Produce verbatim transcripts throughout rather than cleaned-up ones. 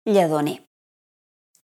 Lledoner.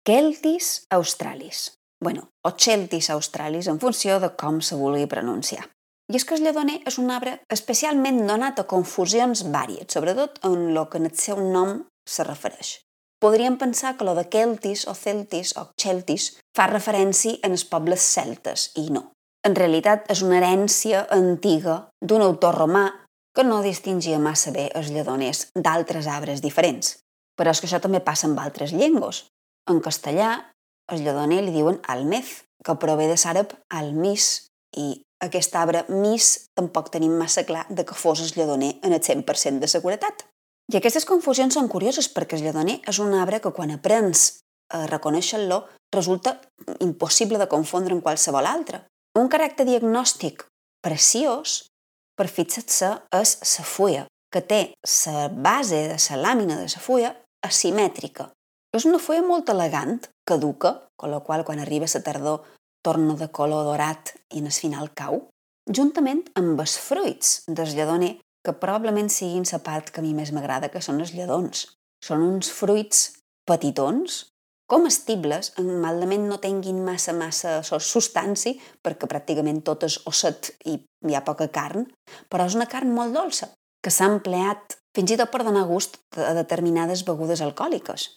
Celtis australis. Bueno, o Celtis australis, en funció de com se vulgui pronunciar. I és que el lledoner és un arbre especialment donat a confusions vàries, sobretot en el que en el seu nom se refereix. Podríem pensar que lo de Celtis o Celtis o Celtis fa referència als pobles celtes, i no. En realitat és una herència antiga d'un autor romà que no distingia massa bé els lledoners d'altres arbres diferents. Però és que això també passa amb altres llengües. En castellà, el lledoner li diuen almez, que prové de l'àrab almis, i aquest arbre mis tampoc tenim massa clar de que fos el lledoner en el cent per cent de seguretat. I aquestes confusions són curioses perquè el lledoner és un arbre que quan aprens a reconèixer-lo resulta impossible de confondre amb qualsevol altre. Un caràcter diagnòstic preciós, per fixar-se, és la fulla, que té la base de la làmina de la fulla asimètrica. És una fulla molt elegant, caduca, amb la qual quan arriba la tardor torna de color dorat i en el final cau, juntament amb els fruits del lledoner, que probablement siguin la part que a mi més m'agrada, que són els lledons. Són uns fruits petitons, comestibles, malament no tinguin massa, massa substància, perquè pràcticament tot és osset i hi ha poca carn, però és una carn molt dolça, que s'ha empleat fins i tot per donar gust a determinades begudes alcohòliques.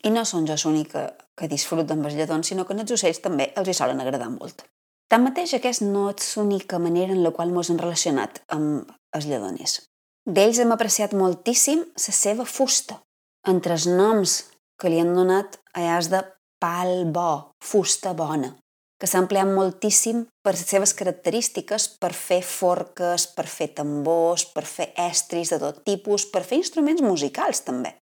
I no són jo l'única que disfruta amb els lledons, sinó que als ocells també els hi solen agradar molt. Tanmateix, aquesta no és l'única manera en la qual ens hem relacionat amb els lledoners. D'ells hem apreciat moltíssim la seva fusta. Entre els noms que li han donat allà és de pal bo, fusta bona, que s'ha empleat moltíssim per les seves característiques, per fer forques, per fer tambors, per fer estris de tot tipus, per fer instruments musicals també.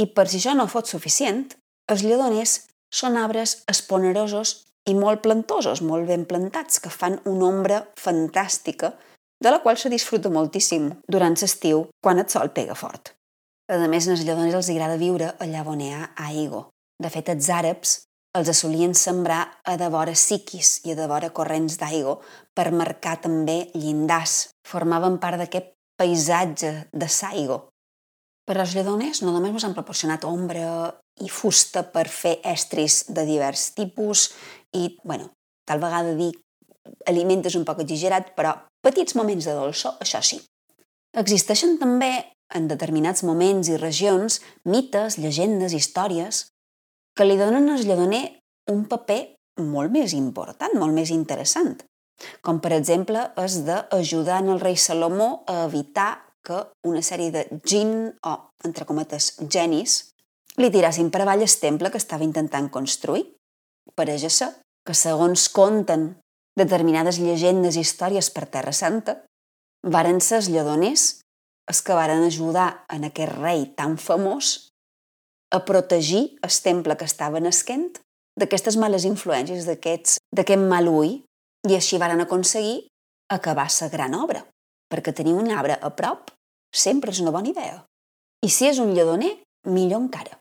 I per si això no fos suficient, els lledoners són arbres esponerosos i molt plantosos, molt ben plantats, que fan una ombra fantàstica, de la qual se disfruta moltíssim durant l'estiu, quan el sol pega fort. A més, als lledoners els agrada viure allà on hi ha aigua. De fet, els àrabs els solien sembrar a devora siquis i a devora corrents d'aigua per marcar també llindars. Formaven part d'aquest paisatge de l'aigua. Però els lledoners no només ens han proporcionat ombra i fusta per fer estris de divers tipus i, bueno, tal vegada dir aliment és un poc exagerat, però petits moments de dolçor, això sí. Existeixen també, en determinats moments i regions, mites, llegendes, històries, que li donen al lledoner un paper molt més important, molt més interessant, com per exemple és d'ajudar el rei Salomó a evitar que una sèrie de jinn, o, entre cometes, genis, li tirassin per avall el temple que estava intentant construir. Pareix ser que, segons conten determinades llegendes i històries per Terra Santa, varen ser els lledoners els que varen ajudar en aquest rei tan famós a protegir el temple que estava nasquent d'aquestes males influències, d'aquest mal ull, i així varen aconseguir acabar la gran obra, perquè tenir un arbre a prop sempre és una bona idea. I si és un lledoner, millor encara.